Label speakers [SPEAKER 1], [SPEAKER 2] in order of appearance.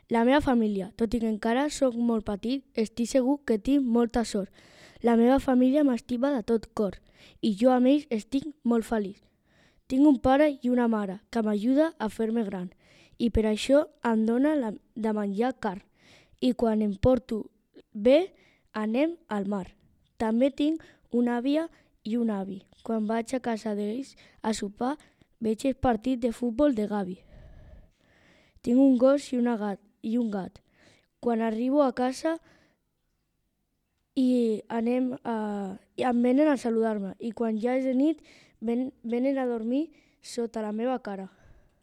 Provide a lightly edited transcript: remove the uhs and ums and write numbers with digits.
[SPEAKER 1] La meva família, tot i que encara sóc molt petit, estic segur que tinc molta sort. La meva família m'estima de tot cor i jo amb ells estic molt feliç. Tinc un pare i una mare que m'ajuda a fer-me gran i per això em dóna de menjar carn i quan em porto bé anem al mar. També tinc una àvia i un avi. Quan vaig a casa d'ells a sopar veig el partit de futbol de Gavi. Tinc un gos i un gat. Quan arribo a casa i em venen a saludar-me i quan ja és de nit venen a dormir sota la meva cara.